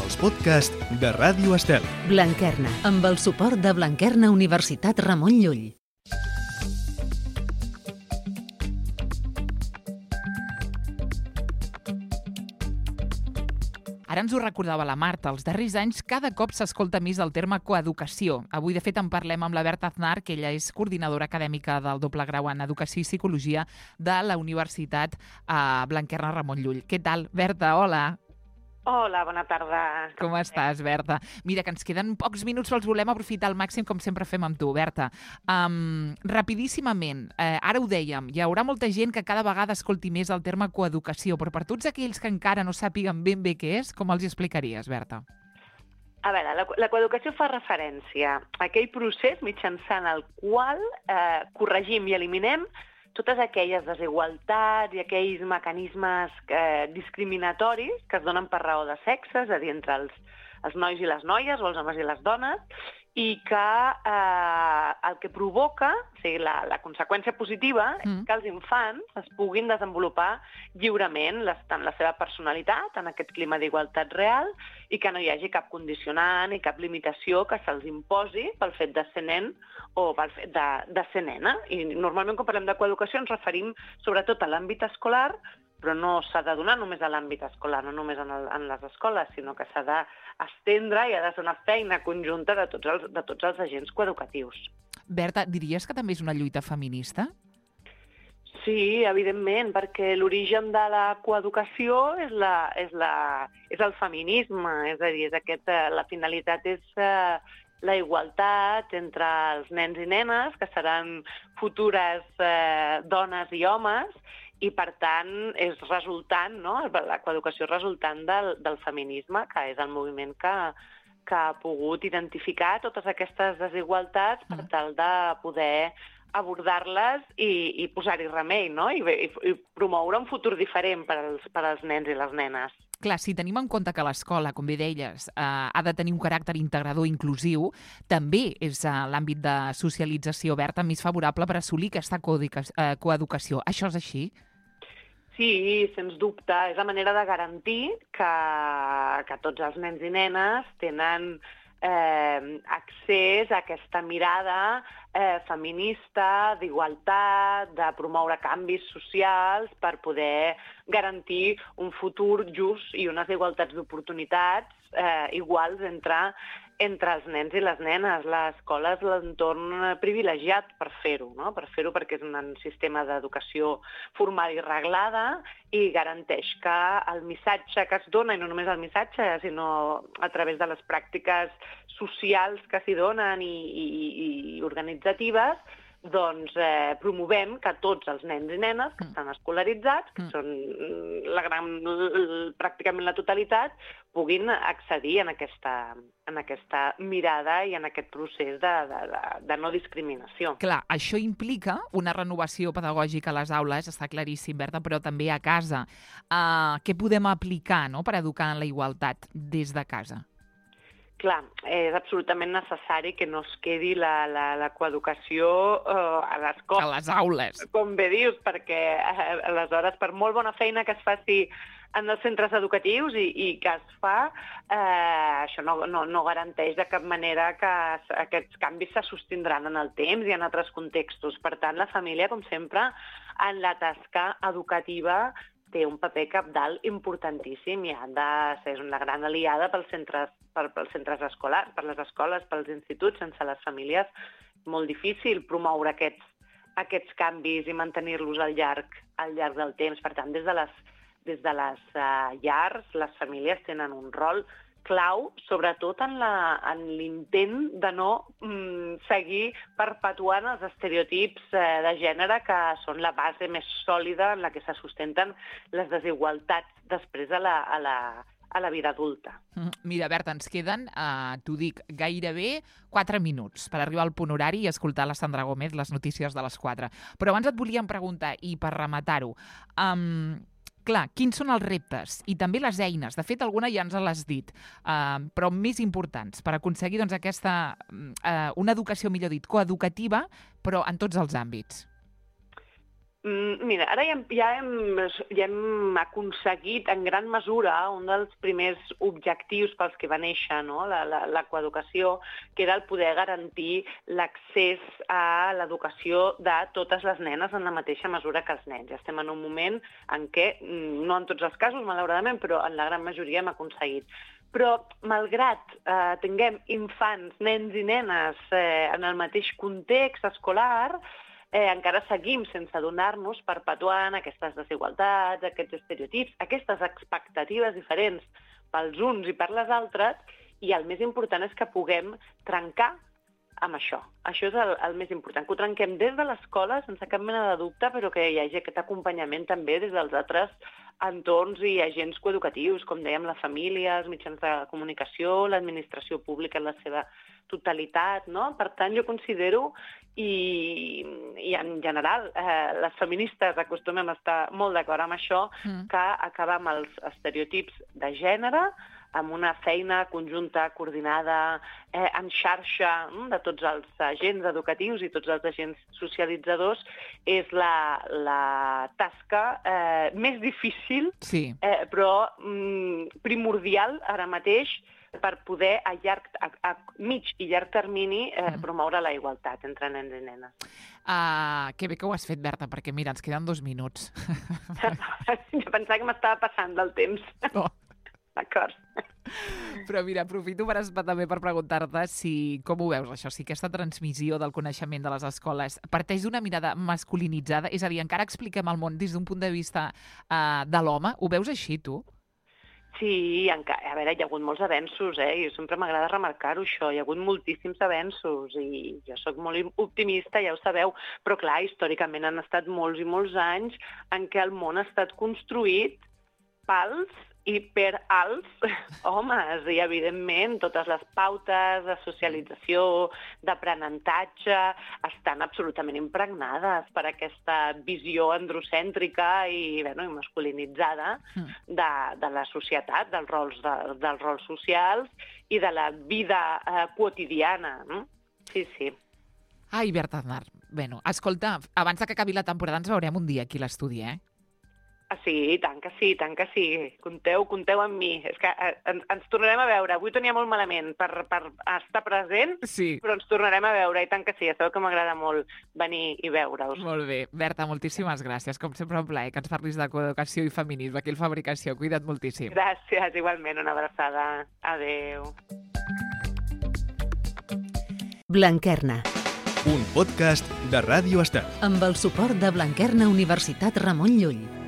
els podcasts de Ràdio Estel. Blanquerna, amb el suport de Blanquerna Universitat Ramon Llull. Ara ens ho recordava la Marta, els darrers anys cada cop s'escolta més el terme coeducació. Avui, de fet, en parlem amb la Berta Aznar, que ella és coordinadora acadèmica del doble grau en Educació i Psicologia de la Universitat Blanquerna Ramon Llull. Què tal, Berta? Hola. Hola, bona tarda. Com estàs, Berta? Mira, que ens queden pocs minuts, però els volem aprofitar al màxim, com sempre fem amb tu, Berta. Rapidíssimament, ara ho dèiem, hi haurà molta gent que cada vegada escolti més el terme coeducació, però per tots aquells que encara no sàpiguen ben bé què és, com els hi explicaries, Berta? A veure, la coeducació fa referència a aquell procés mitjançant el qual corregim i eliminem totes aquelles desigualtats i aquells mecanismes discriminatoris que es donen per raó de sexe, és a dir, entre els nois i les noies o els homes i les dones, i que el que provoca, o sigui, la conseqüència positiva, és que els infants es puguin desenvolupar lliurement tant la seva personalitat en aquest clima d'igualtat real i que no hi hagi cap condicionant i cap limitació que se'ls imposi pel fet de ser nen o pel fet de ser nena. I normalment quan parlem de coeducació ens referim sobretot a l'àmbit escolar, però no s'ha de donar només a l'àmbit escolar, no només en les escoles, sinó que s'ha d'estendre i ha de ser una feina conjunta de tots els agents coeducatius. Berta, diries que també és una lluita feminista? Sí, evidentment, perquè l'origen de la coeducació és el feminisme, és a dir, la finalitat és la igualtat entre els nens i nenes, que seran futures dones i homes, i, per tant, és resultant, no? La coeducació resultant del feminisme, que és el moviment que ha pogut identificar totes aquestes desigualtats per tal de poder abordar-les i posar-hi remei, no? I promoure un futur diferent per als nens i les nenes. Clar, si tenim en compte que l'escola, com bé deies, ha de tenir un caràcter integrador i inclusiu, també és l'àmbit de socialització oberta més favorable per assolir aquesta coeducació. Això és així? Sí, sens dubte. És la manera de garantir que tots els nens i nenes tenen accés a aquesta mirada feminista, d'igualtat, de promoure canvis socials per poder garantir un futur just i unes igualtats d'oportunitats iguals entre els nens i les nenes. L'escola és l'entorn privilegiat per fer-ho, no? Per fer-ho perquè és un sistema d'educació formal i reglada i garanteix que el missatge que es dona, i no només el missatge, sinó a través de les pràctiques socials que s'hi donen i organitzatives, doncs promovem que tots els nens i nenes que estan escolaritzats, que són pràcticament la totalitat, puguin accedir en aquesta mirada i en aquest procés de no discriminació. Clar, això implica una renovació pedagògica a les aules, està claríssim, Berta, però també a casa. Què podem aplicar, no?, per educar en la igualtat des de casa? Clar, és absolutament necessari que no es quedi la coeducació a l'escola. A les aules. Com bé dius, perquè aleshores, per molt bona feina que es faci en els centres educatius i que es fa, això no garanteix de cap manera que aquests canvis se sostindran en el temps i en altres contextos. Per tant, la família, com sempre, en la tasca educativa té un paper cabdal importantíssim i ha de ser una gran aliada pels centres escolars, per les escoles, pels instituts. Sense les famílies és molt difícil promoure aquests canvis i mantenir-los al llarg del temps. Per tant, des de les llars, les famílies tenen un rol clau, sobretot en l'intent de no seguir perpetuant els estereotips de gènere que són la base més sòlida en la que se sustenten les desigualtats després a la vida adulta. Mira, Berta, ens queden, t'ho dic, gairebé 4 minuts per arribar al punt horari i escoltar la Sandra Gómez, les notícies de les 4. Però abans et volíem preguntar, i per rematar-ho, clar, quins són els reptes i també les eines? De fet, alguna ja ens l'has dit, però més importants per aconseguir doncs, una educació, millor dit, coeducativa, però en tots els àmbits. Mira, ara ja hem aconseguit en gran mesura un dels primers objectius pels que va néixer, no? La coeducació, que era el poder garantir l'accés a l'educació de totes les nenes en la mateixa mesura que els nens. Ja estem en un moment en què, no en tots els casos, malauradament, però en la gran majoria hem aconseguit. Però, malgrat tinguem infants, nens i nenes en el mateix context escolar, encara seguim sense adonar-nos perpetuant aquestes desigualtats, aquests estereotips, aquestes expectatives diferents pels uns i per les altres, i el més important és que puguem trencar amb això. Això és el més important, que ho trenquem des de l'escola, sense cap mena de dubte, però que hi hagi aquest acompanyament també des dels altres entorns i agents coeducatius, com dèiem, la família, els mitjans de comunicació, l'administració pública en la seva totalitat, no? Per tant, jo considero, i en general les feministes acostumem a estar molt d'acord amb això, que acabar amb els estereotips de gènere, amb una feina conjunta, coordinada, en xarxa de tots els agents educatius i tots els agents socialitzadors, és la tasca més difícil, sí, però primordial ara mateix per poder a mig i llarg termini promoure la igualtat entre nens i nenes. Que bé que ho has fet, Berta, perquè mira, ens queden 2 minuts. Jo pensava que m'estava passant del temps. No. D'acord. Però mira, aprofito també per preguntar-te com ho veus, això, si aquesta transmissió del coneixement de les escoles parteix d'una mirada masculinitzada, és a dir, encara expliquem el món des d'un punt de vista de l'home. Ho veus així, tu? Sí, a veure, hi ha hagut molts avenços, i sempre m'agrada remarcar-ho, això. Hi ha hagut moltíssims avenços i jo sóc molt optimista, ja ho sabeu, però clar, històricament han estat molts i molts anys en què el món ha estat construït pels i per als homes, i evidentment totes les pautes de socialització, d'aprenentatge, estan absolutament impregnades per aquesta visió androcèntrica i masculinitzada de la societat, dels rols socials i de la vida quotidiana. Sí, sí. Ai, Berta Aznar, escolta, abans que acabi la temporada ens veurem un dia aquí a l'estudi, Sí, tant que sí, tant que sí. Compteu amb mi. És que ens tornarem a veure. Avui tenia molt malament per estar present, sí, però ens tornarem a veure, i tant que sí. Ja sabeu que m'agrada molt venir i veure-us. Molt bé. Berta, moltíssimes gràcies. Com sempre, un plaer que ens parlis de coeducació i feminisme aquí al Fabricació. Cuida't moltíssim. Gràcies, igualment. Una abraçada. Adéu. Blanquerna. Un podcast de Ràdio Estel. Amb el suport de Blanquerna Universitat Ramon Llull.